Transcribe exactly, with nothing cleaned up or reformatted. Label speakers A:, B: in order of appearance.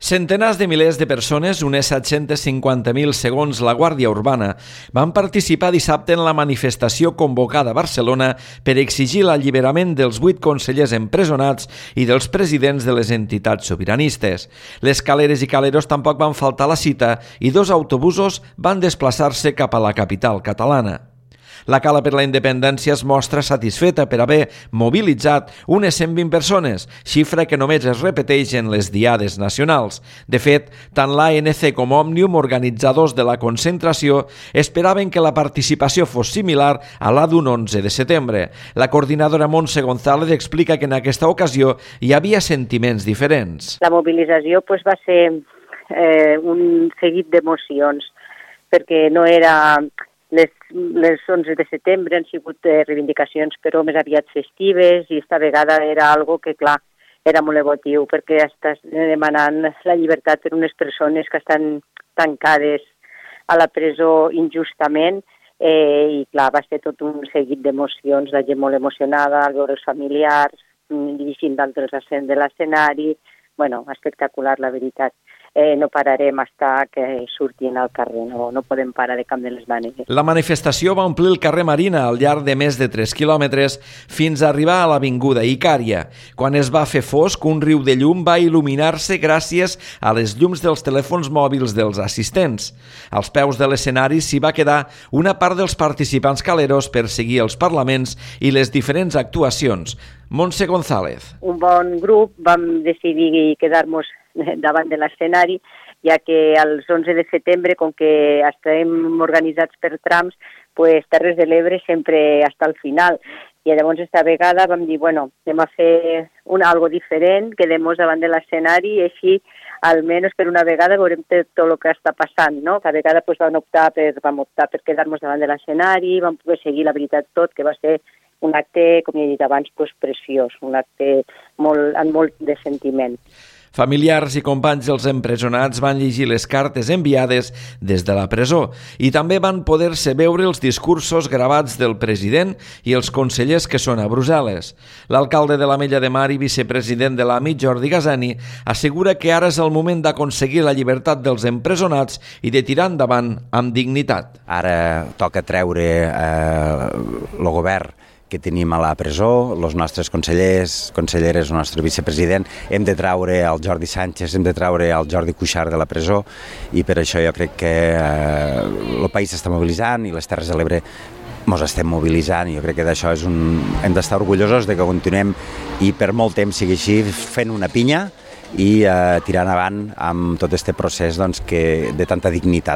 A: Centenars de milers de persones, unes set-cents cinquanta mil segons la Guàrdia Urbana, van participar dissabte en la manifestació convocada a Barcelona per exigir l'alliberament dels vuit consellers empresonats i dels presidents de les entitats sobiranistes. Les caleres i caleros tampoc van faltar a la cita i dos autobusos van desplaçar-se cap a la capital catalana. La Cala per la Independència es mostra satisfeta per haver mobilitzat unes cent vint persones, xifra que només es repeteix en les diades nacionals. De fet, tant l'A N C com Òmnium, organitzadors de la concentració, esperaven que la participació fos similar a la d'un onze de setembre. La coordinadora Montse González explica que en aquesta ocasió hi havia sentiments diferents.
B: La mobilització pues, va ser eh, un seguit d'emocions, perquè no era... Les, les onze de setembre han sigut eh, reivindicacions però més aviat festives i esta vegada era algo que, clar, era molt emotiu perquè estàs demanant la llibertat per unes persones que estan tancades a la presó injustament eh, i, clar, va ser tot un seguit d'emocions, la gent molt emocionada al veure els familiars, dirigint d'altres ascens de l'escenari. Bueno, espectacular, la veritat. Eh, no pararem hasta que surtin al carrer, no, no podem parar de cap de les maneres.
A: La manifestació va omplir el carrer Marina al llarg de més de tres quilòmetres fins a arribar a l'avinguda Icària. Quan es va fer fosc, un riu de llum va il·luminar-se gràcies a les llums dels telèfons mòbils dels assistents. Als peus de l'escenari s'hi va quedar una part dels participants caleros per seguir els parlaments i les diferents actuacions. Montse González.
B: Un bon grup vam decidir quedar-nos davant de l'escenari, ja que els onze de setembre, com que estem organitzats per trams, pues, Terres de l'Ebre sempre està al final. I llavors, esta vegada vam dir, bueno, anem a fer una, algo diferent, quedem-nos davant de l'escenari i així, almenys per una vegada, veurem tot el que està passant, no? Cada vegada pues, vam, optar per, vam optar per quedar-nos davant de l'escenari, vam poder seguir la veritat tot, que va ser un acte, com he dit abans, pues, preciós, un acte molt, amb molt de sentiment.
A: Familiars i companys dels empresonats van llegir les cartes enviades des de la presó i també van poder-se veure els discursos gravats del president i els consellers que són a Brussel·les. L'alcalde de l'Ametlla de Mar i vicepresident de l'A M I, Jordi Gasani, assegura que ara és el moment d'aconseguir la llibertat dels empresonats i de tirar endavant amb dignitat.
C: Ara toca treure eh, el govern que tenim a la presó, els nostres consellers, conselleres, el nostre vicepresident, hem de traure el Jordi Sánchez, hem de traure el Jordi Cuixart de la presó i per això jo crec que eh, el país s'està mobilitzant i les Terres de l'Ebre ens estem mobilitzant i jo crec que d'això és un... hem d'estar orgullosos de que continuem i per molt temps sigui així fent una pinya i eh, tirant avant amb tot aquest procés doncs, que, de tanta dignitat.